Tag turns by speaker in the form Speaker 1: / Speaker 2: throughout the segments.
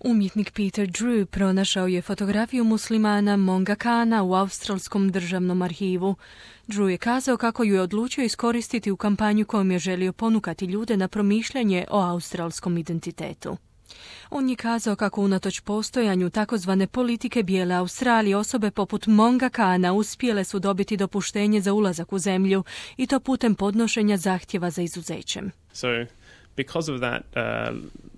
Speaker 1: Umjetnik Peter Drew pronašao je fotografiju muslimana Monga Khana u Australskom državnom arhivu. Drew je kazao kako ju je odlučio iskoristiti u kampanju kojom je želio ponukati ljude na promišljanje o australskom identitetu. On je kazao kako unatoč postojanju takozvane politike bijele Australije osobe poput Monga Khana uspjele su dobiti dopuštenje za ulazak u zemlju i to putem podnošenja zahtjeva za izuzećem.
Speaker 2: Because of that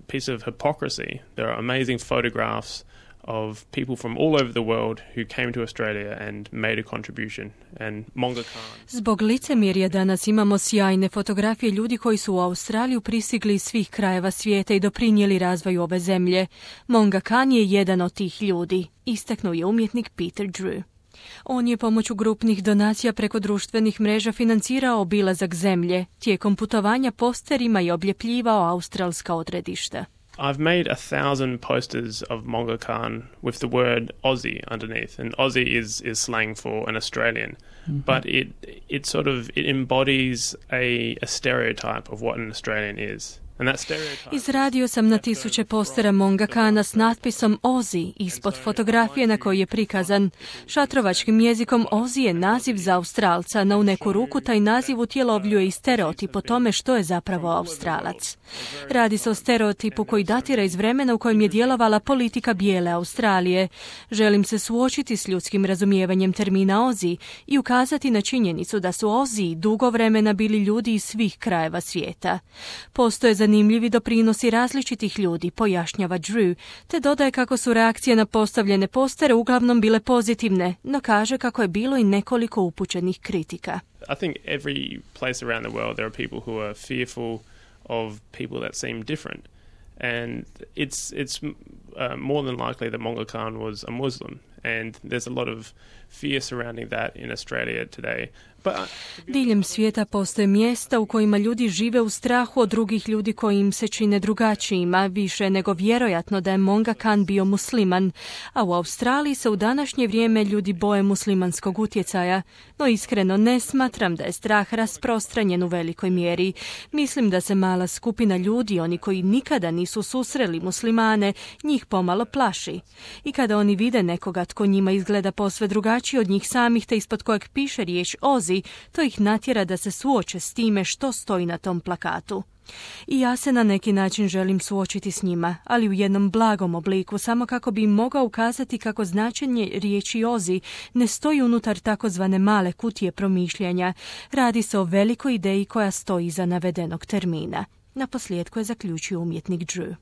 Speaker 2: piece of hypocrisy, there are amazing photographs of people from all over the world who came to Australia and made a contribution. And Monga Khan.
Speaker 1: Zbog licemjerja danas imamo sjajne fotografije ljudi koji su u Australiju pristigli iz svih krajeva svijeta i doprinijeli razvoju ove zemlje. Monga Khan je jedan od tih ljudi, istaknuo je umjetnik Peter Drew. On je pomoću grupnih donacija preko društvenih mreža financirao obilazak zemlje, tijekom putovanja posterima i obljepljivao australska odredišta.
Speaker 2: I've made 1,000 posters of Monga Khan with the word Aussie underneath, and Aussie is slang for an Australian, but it embodies a stereotype of what an Australian is.
Speaker 1: Izradio sam na 1000 postera Monga Khana s natpisom Aussie ispod fotografije na kojoj je prikazan. Šatrovačkim jezikom Aussie je naziv za Australca, no u neku ruku taj naziv utjelovljuje i stereotip o tome što je zapravo Australac. Radi se o stereotipu koji datira iz vremena u kojem je djelovala politika bijele Australije. Želim se suočiti s ljudskim razumijevanjem termina Aussie i ukazati na činjenicu da su Aussie dugo vremena bili ljudi iz svih krajeva svijeta. Postoje zanimljivi doprinosi različitih ljudi, pojašnjava Drew, te dodaje kako su reakcije na postavljene postere uglavnom bile pozitivne, no kaže kako je bilo i nekoliko upućenih kritika.
Speaker 2: I think every place around the world there are people who are fearful of people that seem different. And it's more than likely that Monga Khan was a Muslim. And there's a lot of fear surrounding that in Australia today.
Speaker 1: Diljem svijeta postoje mjesta u kojima ljudi žive u strahu od drugih ljudi koji im se čine drugačijima, više nego vjerojatno da je Monga Khan bio musliman, a u Australiji se u današnje vrijeme ljudi boje muslimanskog utjecaja, no iskreno ne smatram da je strah rasprostranjen u velikoj mjeri. Mislim da se mala skupina ljudi, oni koji nikada nisu susreli muslimane, njih pomalo plaši. I kada oni vide nekoga tko njima izgleda posve drugačiji od njih samih te ispod kojeg piše riječ Aussie, to ih natjera da se suoče s time što stoji na tom plakatu. I ja se na neki način želim suočiti s njima, ali u jednom blagom obliku, samo kako bi im mogao ukazati kako značenje riječi Aussie ne stoji unutar takozvane male kutije promišljanja. Radi se o velikoj ideji koja stoji iza navedenog termina. Naposljetku je zaključio umjetnik Drew.